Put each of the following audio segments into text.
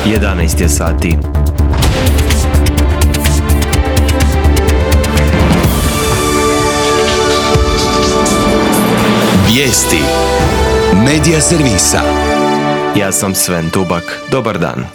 11 je sati. Vijesti Medija servisa. Ja sam Sven Tubak. Dobar dan.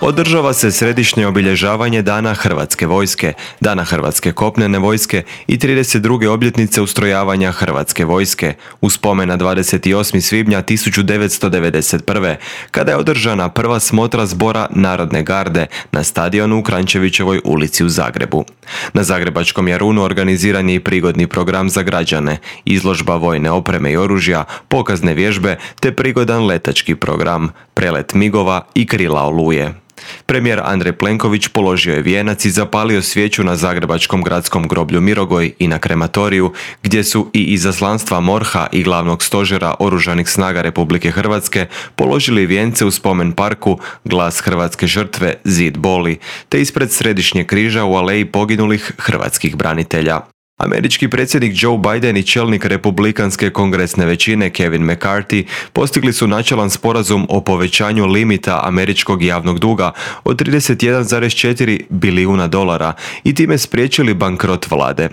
Održava se središnje obilježavanje Dana Hrvatske vojske, Dana Hrvatske kopnene vojske i 32. obljetnice ustrojavanja Hrvatske vojske u spomen na 28. svibnja 1991. kada je održana prva smotra zbora Narodne garde na stadionu u Kranjčevićevoj ulici u Zagrebu. Na zagrebačkom Jarunu organiziran je i prigodni program za građane, izložba vojne opreme i oružja, pokazne vježbe te prigodan letački program, prelet migova i krila Oluje. Premijer Andrej Plenković položio je vijenac i zapalio svijeću na zagrebačkom gradskom groblju Mirogoj i na krematoriju, gdje su i izaslanstva MORH-a i glavnog stožera Oružanih snaga Republike Hrvatske položili vijence u spomen parku Glas hrvatske žrtve Zid boli, te ispred Središnjeg križa u aleji poginulih hrvatskih branitelja. Američki predsjednik Joe Biden i čelnik republikanske kongresne većine Kevin McCarthy postigli su načelan sporazum o povećanju limita američkog javnog duga od 31,4 bilijuna dolara i time spriječili bankrot vlade.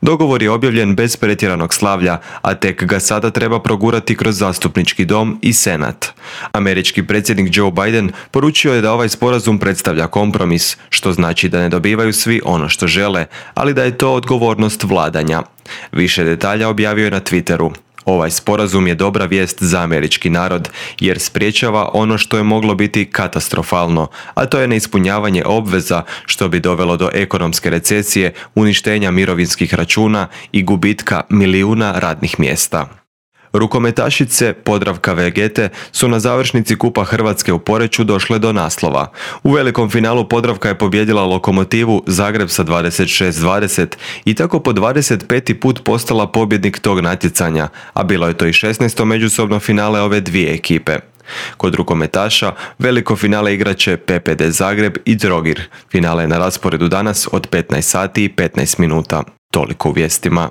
Dogovor je objavljen bez pretjeranog slavlja, a tek ga sada treba progurati kroz zastupnički dom i senat. Američki predsjednik Joe Biden poručio je da ovaj sporazum predstavlja kompromis, što znači da ne dobivaju svi ono što žele, ali da je to odgovornost vladanja. Više detalja objavio je na Twitteru. Ovaj sporazum je dobra vijest za američki narod jer sprječava ono što je moglo biti katastrofalno, a to je neispunjavanje obveza što bi dovelo do ekonomske recesije, uništenja mirovinskih računa i gubitka milijuna radnih mjesta. Rukometašice Podravka Vegete su na završnici Kupa Hrvatske u Poreču došle do naslova. U velikom finalu Podravka je pobijedila Lokomotivu Zagreb sa 26-20 i tako po 25. put postala pobjednik tog natjecanja, a bilo je to i 16. međusobno finale ove dvije ekipe. Kod rukometaša veliko finale igraće PPD Zagreb i Trogir. Finale je na rasporedu danas od 15 sati i 15 minuta. Toliko u vijestima.